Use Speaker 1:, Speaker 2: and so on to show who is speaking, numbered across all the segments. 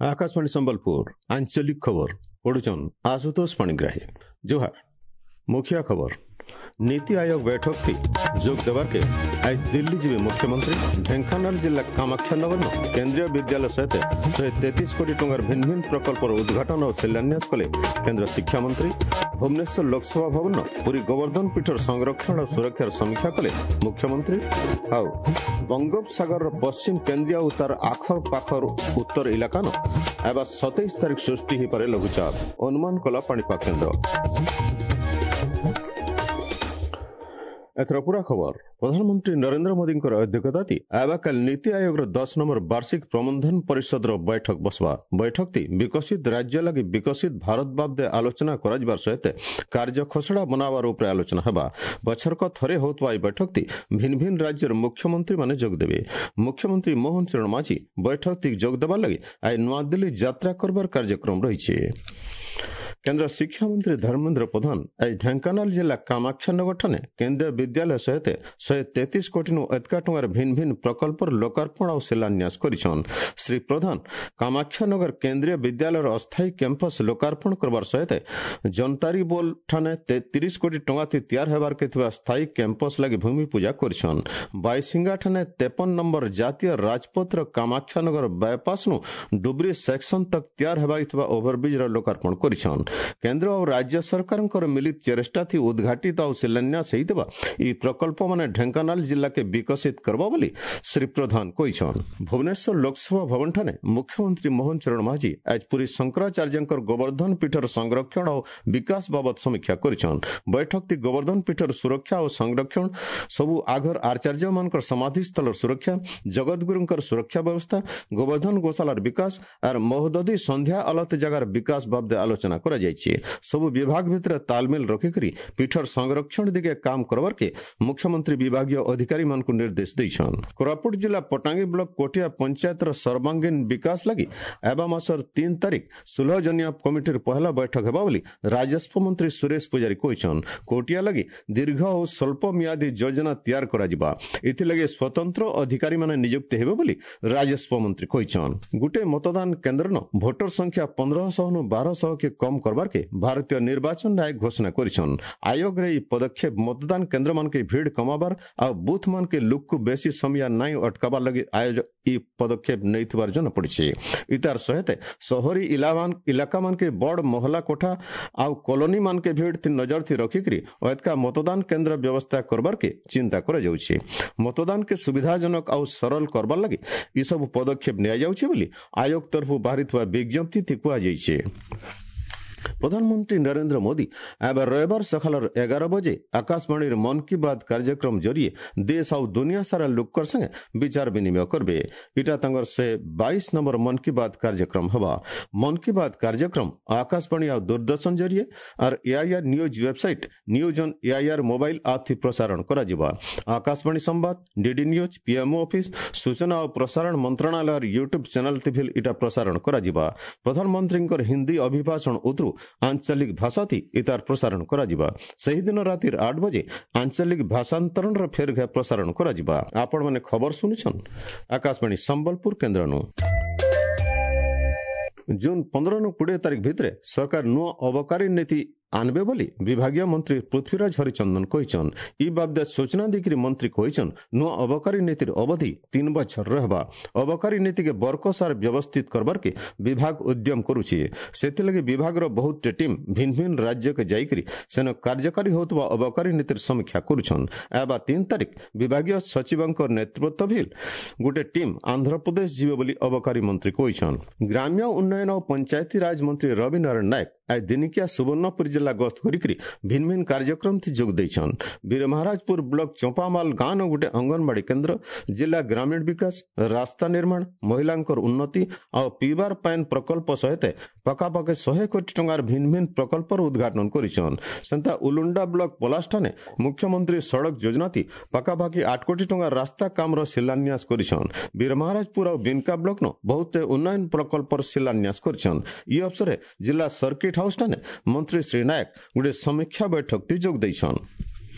Speaker 1: आकाशवाणी संबलपुर आंचलिक खबर पढ़ुचन आशुतोष पाणिग्राही। जोहार। मुखिया खबर। नीति आयोग बैठक थी जोग देवार के आज दिल्ली जीवे मुख्यमंत्री। ढेंकानाल जिला कामाख्यानगर केंद्रीय विद्यालय सहित 133 कोटी टंकार भिन्न भिन्न प्रकल्पर उद्घाटन और शिलान्यास कले केंद्र शिक्षा मंत्री। भुवनेश्वर लोकसभा भवन पुरी गोवर्धन पीठर संरक्षण और सुरक्षार समीक्षा कले मुख्यमंत्री। आउ बंगोपसागर पश्चिम केंद्रीय और तार आखर पाखर उत्तर इलाका न एबा 27 तारीख सृष्टि हो पारे लघुचाप अनुमान कला पाणीपाग केंद्र। एथर पूरा खबर। प्रधानमंत्री नरेंद्र मोदी अध्यक्षता आवाकाल नीति आयोग 10 नंबर वार्षिक प्रबंधन परिषद बैठक बसवा। बैठक ती विकसित राज्य लगी विकसित भारत बाबदे आलोचना कराजिबार सहित कार्य खसड़ा बनावार उपरे आलोचना हेबा। बछरक थरे होतवा ए बैठक ती भिन्न भिन्न राज्यर मुख्यमंत्री माने जोग देवे। मुख्यमंत्री मोहन चरण माझी बैठक ती जोग देबार लगी आइ नया दिल्ली यात्रा करबार कार्यक्रम रहिছে। केंद्र शिक्षा मंत्री धर्मेंद्र प्रधान आज ढेंकानाल जिला कामाख्यानगर ठाने केंद्रीय विद्यालय सहित 133 कोटी नु अधिका टंकार भिन्न भिन्न प्रकल्पर लोकार्पण और शिलान्यास करिछन। श्री प्रधान कामाख्यानगर केंद्रीय विद्यालयर अस्थायी कैंपस लोकार्पण करबार सहित जनतारी बोल ठाने 33 कोटी टंका ती तैयार हेबार के थिबा स्थायी कैंपस लागि भूमि पूजा करिछन। बाईसिंगा ठाने 53 नंबर जातीय राजपथ कामाख्यानगर बाईपास नु डुबरी सेक्शन तक तैयार हेबार थिबा ओभरब्रिज र लोकार्पण करिछन। केंद्र और राज्य सरकार मिलित चेष्टा थी उद्घाटित और शिलान्यास होइतबा ई प्रकल्प माने ढेंकानाल जिला के विकसित करबा बोली श्री प्रधान कहिछन। भुवनेश्वर लोकसभा भवन ठाने मुख्यमंत्री मोहन चरण माझी आज पुरी शंकराचार्यंकर गोवर्धन पीठर संरक्षण और विकास बाबद समीक्षा करिछन। बैठक ती गोवर्धन पीठर सुरक्षा और संरक्षण, सबु आघर आचार्य मानकर समाधि स्थलर सुरक्षा, जगतगुरुंकर सुरक्षा व्यवस्था, गोवर्धन गोशालार विकास और महोदधि संध्या आलत जगार विकास बाबदे आलोचना करा जाइছে। सबु विभाग भितर तालमेल रखिकरी पीठर संरक्षण दिगे काम करबार के मुख्यमंत्री विभागीय अधिकारी मानकु निर्देश देइछन। कोरापुट जिला पटांगी ब्लक कोटिया पंचायत सर्वांगीण विकास लागि एबा मासर 3 तारीख 16 जनिया कमिटीर पहला बैठक हेबा बोली राजस्व मंत्री सुरेश पुजारी कहिछन। कोटिया लागि दीर्घ और स्वल्प मियादी योजना तैयार कराजिबा, इथिलागि स्वतंत्र अधिकारी माने नियुक्ति हेबे बोली राजस्व मंत्री कहिछन। गुटे मतदान केंद्र न भोटर संख्या 1500 नु 1200 के कम करबार के भारतीय निर्वाचन आयोग घोषणा करिछन। आयोग रे ई पदक्षेप मतदान केंद्र मान के भीड़ कमाबार आ बूथ मान के लुक को बेसी समय नाई अटकाबार लगी आयोग ई पदक्षेप नेइथिबार जना पड़िছে। इतार सहित शहरी इलाका मान के बड़ मोहल्ला कोठा आउ कॉलोनी मान के भीड़ थी नजर थी रखिकरी एतका मतदान केंद्र व्यवस्था करबार के चिंता करा जाउछि। मतदान के सुविधाजनक आउ सरल करबार लगी ई सब पदक्षेप निया जाउछि बोली आयोग तरफु बाहरिथुआ विज्ञप्ति थी कुहा जाइছে। प्रधानमंत्री नरेंद्र मोदी अब रविवार सकाल 11 बजे आकाशवाणी मन की बात कार्यक्रम जरिए देश और दुनिया सारा लोकर संगे विचार विनिमय करबे। इटा तंगर से 22 नंबर मन की बात कार्यक्रम हवा। मन की बात कार्यक्रम आकाशवाणी और दूरदर्शन जरिए और AIR news website news on AIR mobile app थी प्रसारण कराजिबा। Akashvani Sambad, DD news, PMO office, सूचना और प्रसारण मंत्रालय यूट्यूब चैनल थी भी इटा प्रसारण कराजिबा। प्रधानमंत्री हिंदी अभिभाषण उतरू आंचलिक भाषा थी इतार प्रसारण कराजिबा। सेही दिन रातिर 8 बजे आंचलिक भाषांतरण र फेर घे प्रसारण कराजिबा। आपण माने खबर सुनिछन आकाशवाणी संबलपुर केंद्र नु। जून 15 नु 20 तारीख भितरे सरकार नुआ अबकारी नीति आनबे बोली विभागीय मंत्री पृथ्वीराज हरिचंदन कहिछन। ई बाबदे सूचना दिकरी मंत्री कहिछन नुआ अबकारी नीतिर अवधि 3 बछर रहबा। अबकारी नीति के बरकसार व्यवस्थित करबार के विभाग उद्यम करुछि। सेथिलागि विभाग रो बहुत टीम भिन्न भिन्न राज्य के जाइकरी सेन कार्यकारी होतबा अबकारी नीतिर समीक्षा करुछन। एबा 3 तारीख विभागीय सचिवंकर नेतृत्व ଭିଲ गुटे टीम आंध्र प्रदेश जिवे बोली अबकारी मंत्री कहिछन। ग्राम्य उन्नयन और पंचायती राज मंत्री रवि नारायण नायक आज दिनिकिया सुवर्णपुर जिला गस्त करिकरी भिन्न भिन्न कार्यक्रम थी जोग देइछन। बीरमहाराजपुर ब्लॉक चंपामाल गाँव गोटे अंगनवाड़ी केंद्र, जिला ग्रामीण विकास, रास्ता निर्माण, महिलांकर उन्नति और पीबार पानी प्रकल्प सहित पाखापाखि 100 कोटी टंकार भिन्न भिन्न प्रकल्पर उद्घाटन करिछन। सेंता उलुंडा ब्लॉक पलाष्ठाने मुख्यमंत्री सड़क योजना थी पाखापाखि 8 कोटी टंकार रास्ता कामर शिलान्यास करिछन। बीरमहाराजपुर और बिनका ब्लॉक नो बहुत उन्नयन प्रकल्पर शिलान्यास करिछन। ई अवसरे जिला सर्किट हाउस ठाने मंत्री श्री नायक गुटे समीक्षा बैठक ती जोग देइछन।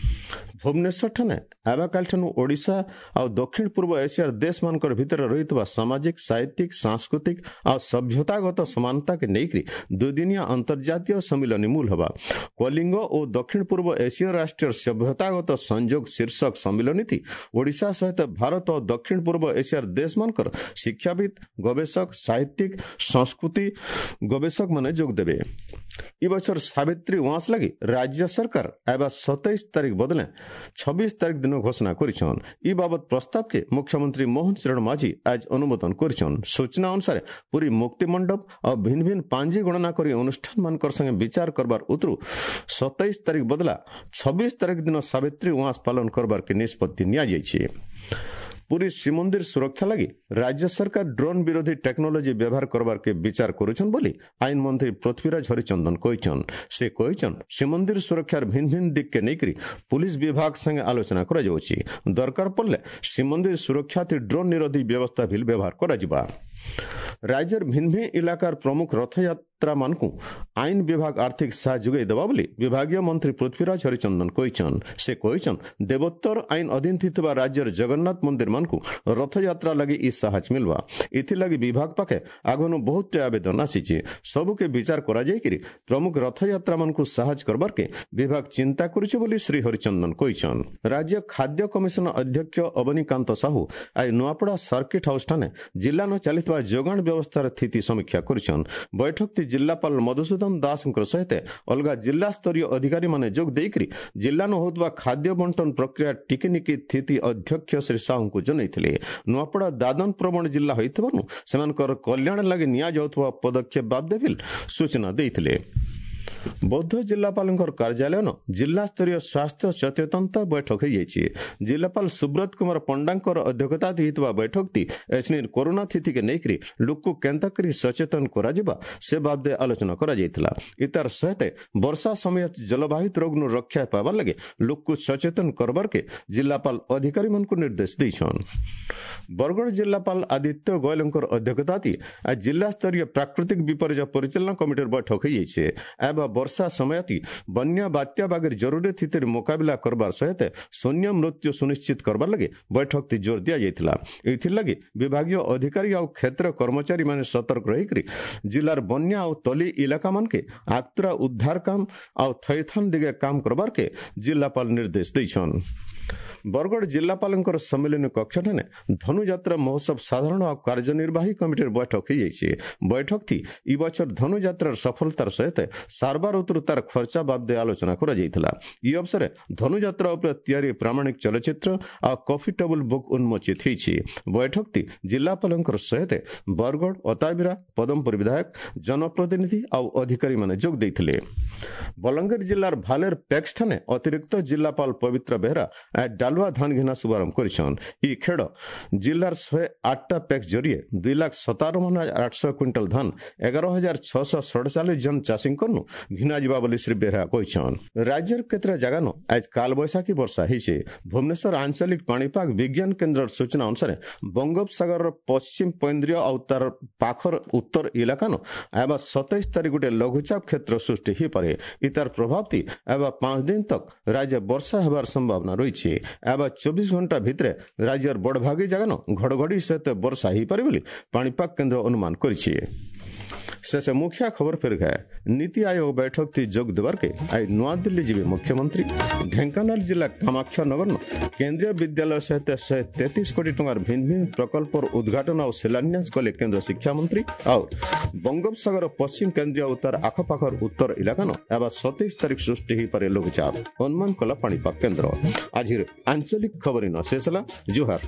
Speaker 1: ଭୁବନେଶ୍ୱରଠାନେ ଆବାକାଲିଠାନୁ ଓଡ଼ିଶା ଆଉ ଦକ୍ଷିଣ ପୂର୍ବ ଏସିଆର ଦେଶମାନଙ୍କର ଭିତରେ ରହିଥିବା ସାମାଜିକ, ସାହିତ୍ୟିକ, ସାଂସ୍କୃତିକ ଆଉ ସଭ୍ୟତାଗତ ସମାନତାକେ ନେଇକରି ଦୁଇଦିନିଆ ଅନ୍ତର୍ଜାତୀୟ ସମ୍ମିଳନୀ ମୂଲ ହେବା। କଳିଙ୍ଗ ଓ ଦକ୍ଷିଣ ପୂର୍ବ ଏସୀୟ ରାଷ୍ଟ୍ରୀୟ ସଭ୍ୟତାଗତ ସଂଯୋଗ ଶୀର୍ଷକ ସମ୍ମିଳନୀ ଓଡ଼ିଶା ସହିତ ଭାରତ ଓ ଦକ୍ଷିଣ ପୂର୍ବ ଏସିଆର ଦେଶମାନଙ୍କର ଶିକ୍ଷାବିତ୍, ଗବେଷକ, ସାହିତ୍ୟିକ, ସଂସ୍କୃତି ଗବେଷକମାନେ ଯୋଗ ଦେବେ। ଇ ବଛର ସାବିତ୍ରୀ ଉଆଁସ ଲାଗି ରାଜ୍ୟ ସରକାର ଆଇବା 27 ତାରିଖ ବଦଲେ 26 ତାରିଖ ଦିନ ଘୋଷଣା କରିଛନ୍। ଇ ବାବଦ ପ୍ରସ୍ତାବକେ ମୁଖ୍ୟମନ୍ତ୍ରୀ ମୋହନ ଚରଣ ମାଝୀ ଆଜ ଅନୁମୋଦନ କରିଛନ୍। ସୂଚନା ଅନୁସାରେ ପୁରୀ ମୁକ୍ତି ମଣ୍ଡପ ଆଉ ଭିନ୍ନ ଭିନ୍ନ ପାଞ୍ଜି ଗଣନା କରି ଅନୁଷ୍ଠାନମାନଙ୍କର ସାଙ୍ଗେ ବିଚାର କରବାର ଉତରୁ 27 ତାରିଖ ବଦଲା 26 ତାରିଖ ଦିନ ସାବିତ୍ରୀ ଉଆଁସ ପାଳନ କରବାର କେ ନିଷ୍ପତ୍ତି ନିଆଯାଇଛି। ପୁରୀ ଶ୍ରୀମନ୍ଦିର ସୁରକ୍ଷା ଲାଗି ରାଜ୍ୟ ସରକାର ଡ୍ରୋନ୍ ବିରୋଧୀ ଟେକ୍ନୋଲୋଜି ବ୍ୟବହାର କରବାରକେ ବିଚାର କରୁଛନ୍ ବୋଲି ଆଇନ ମନ୍ତ୍ରୀ ପୃଥ୍ୱୀରାଜ ହରିଚନ୍ଦନ କହିଛନ୍। ସେ କହିଛନ୍, ଶ୍ରୀମନ୍ଦିର ସୁରକ୍ଷାର ଭିନ୍ନ ଭିନ୍ନ ଦିଗକେ ନେଇକରି ପୁଲିସ ବିଭାଗ ସାଙ୍ଗେ ଆଲୋଚନା କରାଯାଉଛି। ଦରକାର ପଡ଼ିଲେ ଶ୍ରୀମନ୍ଦିର ସୁରକ୍ଷା ଡ୍ରୋନ୍ ନିରୋଧୀ ବ୍ୟବସ୍ଥା ଭିଲ୍ ବ୍ୟବହାର କରାଯିବା। ରାଜ୍ୟର ଭିନ୍ନ ଭିନ୍ନ ଇଲାକାର ପ୍ରମୁଖ ରଥଯାତ୍ରାମାନଙ୍କୁ ଆଇନ ବିଭାଗ ଆର୍ଥିକ ସାହାଯ୍ୟ ଯୋଗାଇ ଦେବା ବୋଲି ବିଭାଗୀୟ ମନ୍ତ୍ରୀ ପୃଥ୍ୱୀରାଜ ହରିଚନ୍ଦନ କହିଛନ୍। ସେ କହିଛନ୍, ଦେବୋତ୍ତର ଆଇନ ଅଧୀନ ଥିବା ରାଜ୍ୟର ଜଗନ୍ନାଥ ମନ୍ଦିରମାନଙ୍କୁ ରଥଯାତ୍ରା ଲାଗି ଇ ସାହାଯ୍ୟ ମିଲବା। ଏଥିଲାଗି ବିଭାଗ ପାଖେ ଆଗନୁ ବହୁତଟେ ଆବେଦନ ଆସିଛି। ସବୁକେ ବିଚାର କରାଯାଇକିରି ପ୍ରମୁଖ ରଥଯାତ୍ରାମାନଙ୍କୁ ସାହାଯ୍ୟ କରବାରକେ ବିଭାଗ ଚିନ୍ତା କରୁଛି ବୋଲି ଶ୍ରୀ ହରିଚନ୍ଦନ କହିଛନ୍। ରାଜ୍ୟ ଖାଦ୍ୟ କମିଶନ ଅଧ୍ୟକ୍ଷ ଅବନୀକାନ୍ତ ସାହୁ ଆଜି ନୂଆପଡ଼ା ସର୍କିଟ୍ ହାଉସ୍ ଠାନେ ଜିଲ୍ଲାନ ଚାଲିଥିବା ଯୋଗାଣ ବ୍ୟବସ୍ଥାର ସ୍ଥିତି ସମୀକ୍ଷା କରିଛନ୍। ବୈଠକଟି ଜିଲ୍ଲାପାଳ ମଧୁସୂଦନ ଦାସଙ୍କ ସହିତ ଅଲଗା ଜିଲ୍ଲାସ୍ତରୀୟ ଅଧିକାରୀମାନେ ଯୋଗ ଦେଇକରି ଜିଲ୍ଲାନ ହେଉଥିବା ଖାଦ୍ୟ ବଣ୍ଟନ ପ୍ରକ୍ରିୟା ଟିକିନିକି ସ୍ଥିତି ଅଧ୍ୟକ୍ଷ ଶ୍ରୀ ସାହୁଙ୍କୁ ଜଣାଇଥିଲେ। ନୂଆପଡ଼ା ଦାଦନ ପ୍ରବଣ ଜିଲ୍ଲା ହୋଇଥିବାରୁ ସେମାନଙ୍କର କଲ୍ୟାଣ ଲାଗି ନିଆଯାଉଥିବା ପଦକ୍ଷେପ ବାବଦେ ବି ସୂଚନା ଦେଇଥିଲେ। ବୌଦ୍ଧ ଜିଲ୍ଲାପାଳଙ୍କର କାର୍ଯ୍ୟାଳୟନ ଜିଲ୍ଲାସ୍ତରୀୟ ସ୍ୱାସ୍ଥ୍ୟ ସଚେତନତା ବୈଠକ ହୋଇଯାଇଛି। ଜିଲ୍ଲାପାଳ ସୁବ୍ରତ କୁମାର ପଣ୍ଡାଙ୍କର ଅଧ୍ୟକ୍ଷତା ହୋଇଥିବା ବୈଠକଟି ଏଛିନି କରୋନା ସ୍ଥିତିକେ ନେଇକରି ଲୋକକୁ କେନ୍ତା କରି ସଚେତନ କରାଯିବା ସେ ବାବଦେ ଆଲୋଚନା କରାଯାଇଥିଲା। ଇତାର ସହିତ ବର୍ଷା ସମୟ ଜଳବାହିତ ରୋଗନୁ ରକ୍ଷା ପାଇବାର ଲାଗି ଲୋକକୁ ସଚେତନ କରବାରକେ ଜିଲ୍ଲାପାଳ ଅଧିକାରୀମାନଙ୍କୁ ନିର୍ଦ୍ଦେଶ ଦେଇଛନ୍। ବରଗଡ଼ ଜିଲ୍ଲାପାଳ ଆଦିତ୍ୟ ଗୋୟଲଙ୍କର ଅଧ୍ୟକ୍ଷତା ଆଜି ଜିଲ୍ଲାସ୍ତରୀୟ ପ୍ରାକୃତିକ ବିପର୍ଯ୍ୟୟ ପରିଚାଳନା କମିଟିର ବୈଠକ ହୋଇଯାଇଛି। ଏବଂ ବର୍ଷା ସମୟତି ବନ୍ୟା ବାତ୍ୟା ବାଗିର ଜରୁରୀ ସ୍ଥିତିର ମୁକାବିଲା କରବାର ସହିତ ଶୂନ୍ୟ ମୃତ୍ୟୁ ସୁନିଶ୍ଚିତ କରବାର ଲାଗି ବୈଠକଟି ଜୋର ଦିଆଯାଇଥିଲା। ଏଥିଲାଗି ବିଭାଗୀୟ ଅଧିକାରୀ ଆଉ କ୍ଷେତ୍ର କର୍ମଚାରୀମାନେ ସତର୍କ ରହିକରି ଜିଲ୍ଲାର ବନ୍ୟା ଆଉ ତଲି ଇଲାକାମାନକେ ଆକ୍ତୁରା ଉଦ୍ଧାର କାମ ଆଉ ଥଇଥାନ ଦିଗେ କାମ କରବାରକେ ଜିଲ୍ଲାପାଳ ନିର୍ଦ୍ଦେଶ ଦେଇଛନ୍। ବରଗଡ଼ ଜିଲ୍ଲାପାଳଙ୍କର ସମ୍ମିଳନୀ କକ୍ଷଠାରେ ଧନୁଯାତ୍ରା ମହୋତ୍ସବ ସାଧାରଣ ଆଉ କାର୍ଯ୍ୟନିର୍ବାହୀ କମିଟିର ବୈଠକ ହୋଇଯାଇଛି। ବୈଠକଟି ଇ ବଛର ଧନୁଯାତ୍ରାର ସଫଳତାର ସହିତ ସାରବାର ଉତରୁ ତାର ଖର୍ଚ୍ଚା ବାବଦେ ଆଲୋଚନା କରାଯାଇଥିଲା। ଇ ଅବସରେ ଧନୁଯାତ୍ରା ଉପରେ ତିଆରି ପ୍ରାମାଣିକ ଚଳଚ୍ଚିତ୍ର ଆଉ କଫି ଟେବୁଲ ବୁକ୍ ଉନ୍ମୋଚିତ ହୋଇଛି। ବୈଠକଟି ଜିଲ୍ଲାପାଳଙ୍କର ସହିତ ବରଗଡ଼, ଅତାବିରା, ପଦମପୁର ବିଧାୟକ, ଜନପ୍ରତିନିଧି ଆଉ ଅଧିକାରୀମାନେ ଯୋଗ ଦେଇଥିଲେ। ବଲାଙ୍ଗୀର ଜିଲ୍ଲାର ଭାଲେର ପ୍ୟାକ୍ସଠାରେ ଅତିରିକ୍ତ ଜିଲ୍ଲାପାଳ ପବିତ୍ର ବେହେରା ଡାଲୁଆ ଧାନ ଘିନା ଶୁଭାରମ୍ଭ କରିଛନ୍। ଇ ଖେଡ଼ ଜିଲ୍ଲାର 108ଟା ପ୍ୟାକ୍ସ ଜରିଏ 2,57,800 କୁଇଣ୍ଟାଲ ଧାନ 11,647 ଜଣ ଚାଷୀଙ୍କନୁ ଘିନା ଯିବା ବୋଲି ଶ୍ରୀ ବେହେରା କହିଛନ୍। ରାଜ୍ୟର କେତେଟା ଜାଗାନ ଆଜ କାଲବୈଶାଖୀ ବର୍ଷା ହେଇছে। ଭୁବନେଶ୍ୱର ଆଞ୍ଚଳିକ ପାଣିପାଗ ବିଜ୍ଞାନ କେନ୍ଦ୍ରର ସୂଚନା ଅନୁସାରେ ବଙ୍ଗୋପସାଗରର ପଶ୍ଚିମ କେନ୍ଦ୍ରୀୟ ଆଉ ତାର ପାଖର ଉତ୍ତର ଇଲାକାନ ଆଇବା 27 ତାରିଖ ଗୋଟେ ଲଘୁଚାପ କ୍ଷେତ୍ର ସୃଷ୍ଟି ହେଇପାରେ। ଇତାର ପ୍ରଭାବଟି ଆଇବା 5 ଦିନ ତକ ରାଜ୍ୟ ବର୍ଷା ହେବାର ସମ୍ଭାବନା ରହିଛି। ଆଇବା 24 ଘଣ୍ଟା ଭିତରେ ରାଜ୍ୟର ବଡ଼ଭାଗୀ ଜାଗାନ ଘଡ଼ଘଡ଼ି ସହିତ ବର୍ଷା ହେଇପାରେ ବୋଲି ପାଣିପାଗ କେନ୍ଦ୍ର ଅନୁମାନ କରିଛି। ଶେଷ ମୁଖ୍ୟ ଖବର ଫେର ଗए। नीति आयोग बैठक थी जोग देवार के आज नୂଆଦିଲ୍ଲୀ ଯିବେ ମୁଖ୍ୟମନ୍ତ୍ରୀ। ଢେଙ୍କାନାଳ ଜିଲ୍ଲା କାମାକ୍ଷାନଗର କେନ୍ଦ୍ରୀୟ ବିଦ୍ୟାଳୟ ସହିତ 133 କୋଟି ଟଙ୍କାର ଭିନ୍ନ ଭିନ୍ନ ପ୍ରକଳ୍ପର ଉଦ୍ଘାଟନ ଆଉ ଶିଳାନ୍ୟାସ କଲେ କେନ୍ଦ୍ର ଶିକ୍ଷାମନ୍ତ୍ରୀ। ଆଉ ବଙ୍ଗୋପସାଗର ପଶ୍ଚିମ କେନ୍ଦ୍ରୀୟ ଆଉ ତାର ଆଖପାଖର ଉତ୍ତର ଇଲାକାନ ହେବା 27 ତାରିଖ ସୃଷ୍ଟି ହୋଇପାରେ ଲଘୁଚାପ, ଅନୁମାନ କଲା ପାଣିପାଗ କେନ୍ଦ୍ର। ଆଜିର ଆଞ୍ଚଳିକ ଖବର ଇନ ଶେଷ ହେଲା। ଜୁହାର।